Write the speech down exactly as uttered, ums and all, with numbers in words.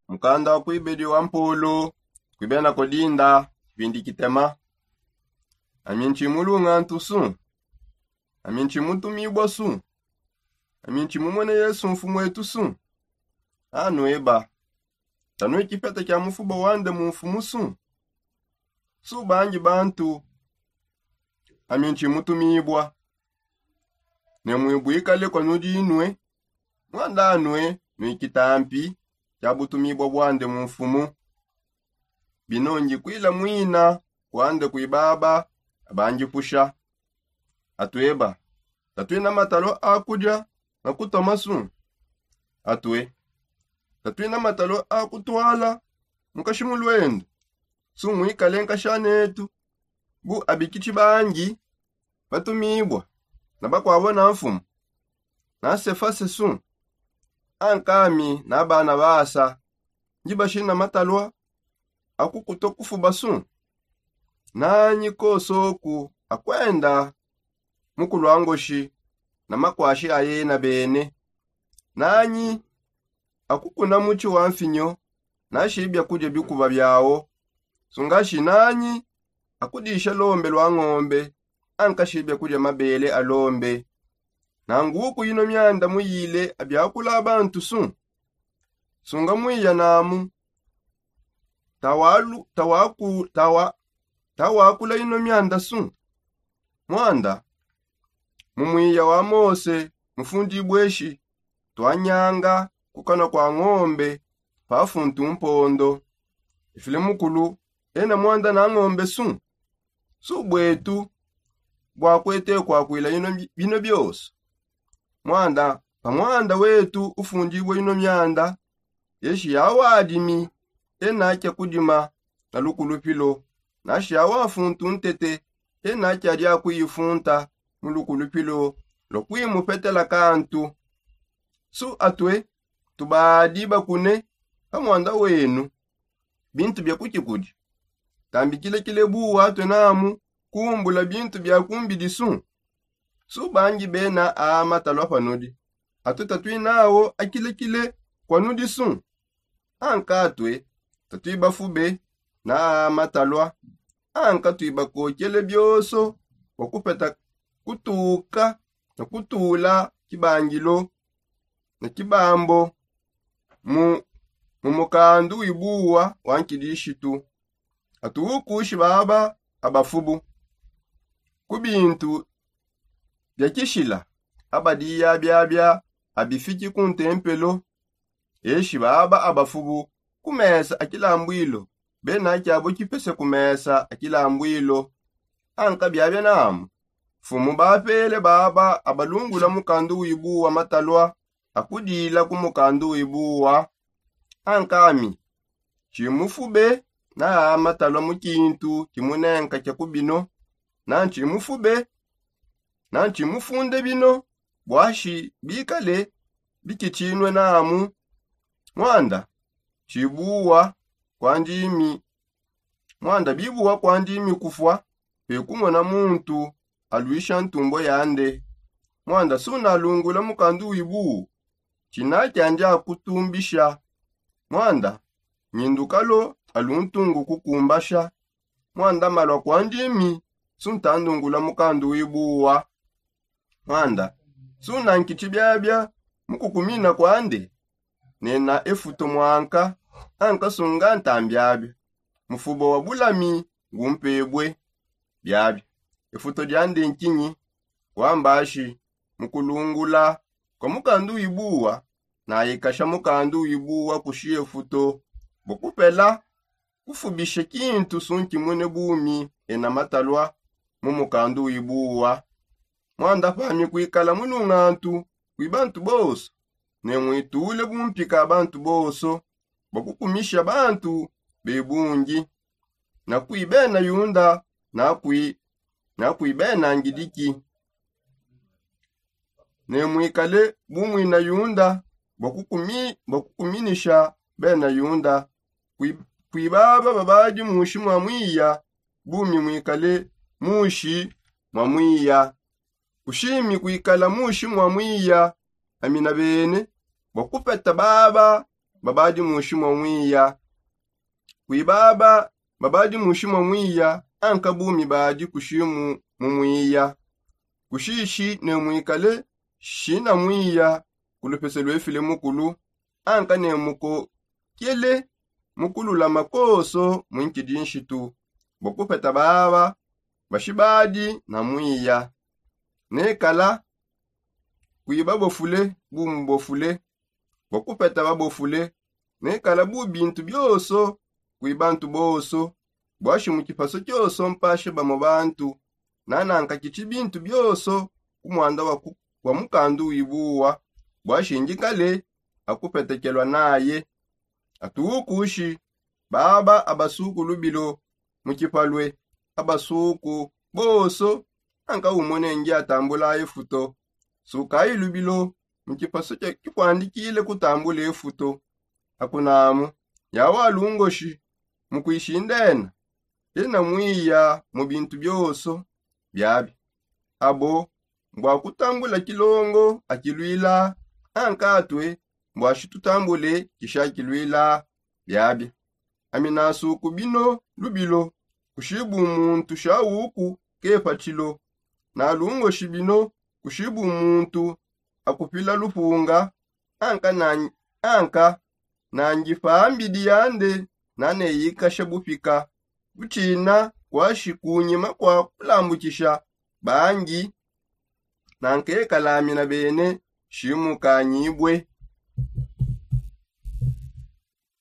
Mukanda wa kuibedi wa mpolo kuibena kodinda. Pindi kitema. Ami ntshi mulungantu su? Ami ntshi mutumibua su? Ami ntshi mumone yesu mfumu etu su? Anu eba, tanue kipeta kia mufuba wande mu mfumu su? Su bangi bantu? Ami ntshi mutumibua. Ne muibuikale kua nudi inue. Muanda anue nuikitampi kia butumibua buande mu mfumu. Bino ndikuila muina kuande kuibaba abandipusha. Atueba, tatuina matalua a kudia na kutoma su? Atue, tatuina matalua a kutuala mukashi mu luendu su muikale nkasha netu? Bu abikitshi bangi batumibua na bakuabo na mfumu na sefase su? Ankami na bana basa ndi bashina matalua akukuto kufuba su? Nanyi kosoku akuenda mukulu a ngoshi na makuashi a yena bene? Nanyi akukuna mutshi wa mfinyo nashi biakudia bikuba biawo? Sungashi nanyi akudisha lombe lua ngombe ankashi biakudia mabele a lombe? Nanguku ino mianda muyile abiakula bantu su? Sunga muiya namu tawalu tawaku tawa tawakula ino mianda su? Muanda mu muiya wa mose mufundibue shi tuanyanga kukana kua ngombe pa funtu mpondo. Ifile mukulu ena muanda na ngombe su? Su buetu buakuete kuakuila bino bionso? Muanda pa muanda wetu ufundibue ino mianda eshi yawadimi ena kia kudima na lukulupilo. Nashi yawafuntu ntete ena kia dia kuifunta mu lukulupilo lua kuimupetela kantu. Su atue tubadi bakune pa muanda wenu bintu bia kukikudi? Tambikilakile buwa atue namu kumbula bintu bia kumbidi su? Su bangi bena a matalua panudi? Atue tatuinawo akilekile kua nudi su? Anka atue tatuibafube na a matalua anka tuibakokele bionso bua kupeta kutuka na kutula kibangilo na kibambo mu mu mukandu wibuwa wa nkidishitu. Atuukushi baba abafubu ku bintu bia kishila abadiya biabia abifiki ku ntempelo. Eshi baba abafubu ku mesa a kilambwilo bena kiabo kipese ku mesa a kilambwilo. Anka biabia namu mfumu bapele baba abalungula mukandu wibuwa matalua akudila ku mukandu wibuwa. Ankami tshimufube na a matalua mu kintu kimunenka kia ku bino na ntshimufube na ntshimufunde bino buashi bikale bikitshinue namu. Muanda tshibuwa kua ndimi muanda bibuwa kua ndimi kufua pe kumona muntu aluisha ntumbua yande. Muanda sunalungula mukandu wibuwu tshina kiandi akutumbisha. Muanda nyindukalo aluntungu kukumbasha. Muanda malua kua ndimi suntandungula mukandu wibuwa. Muanda sunankitshi biabia mu kukumina kuande nena efuto muanka ankasunga ntambiabia mufuba wa bulami ngumpebue. Biabia efuto diande nkinyi? Kuambashi mu kulungula kua mukandu wibuwa nayikasha mukandu wibuwa kushi efuto bua kupela kufubisha kintu sunkimune bumi ena matalua mu mukandu wibuwa. Muanda pami kuikala mulungantu kwi bantu bonso ne muitule bumpika bantu bonso bua kukumisha bantu be bungi na kwi bena yunda na kwi na kwi bena ngidiki. Ne muikale bu muina yunda bua kukuminisha bena yunda. Kwi baba babadi mushi mua muiya bumi muikale mushi mua muiya. Kushimi kuikala mushi mua muiya amina bene bua kupeta baba babadi mushi mwa mwiya. Kuibaba babadi mushi mwa mwiya anka bumi badi kushimu mu mwiya. Kushishi ne mwikale shina mwiya kulupese lwefile mukulu anka ne mukokele mukululama koso mwinkidi nshitu bwa kupeta baba bashibadi na mwiya. Nekala kuiba bofule bumubofule bwa kupeta babofule. Nekala bu bintu bioso kui bantu boso bwashi mu kipaso kioso mpashe bamo bantu nananka kichi bintu bioso ku mwanda wa mukandu wibuwa bwashi njikale akupetekelwa naye. Atuukushi baba abasuku lubilo mu kipalwe abasuku boso anka umone ngi atambula efuto. Sukayi lubilo mu kipaso kikwandikile kutambula efuto. Akunamu yawa lungoshi mukwishindena ena mwiya mu bintu bioso biabi abo mbwa kutambula kilongo akilwila ankatwe mbwa shitutambule kisha kilwila biabi. Ami nasuku bino lubilo kushibu muntu shawuku kepatshilo. Nalungoshi bino kushibu muntu akupila lupunga anka na anka na ngipa mbidi yande naneyikasha bupika butshina kwashi kunyima kwa kulambukisha bangi na nkekalamina bene shimukanyibue.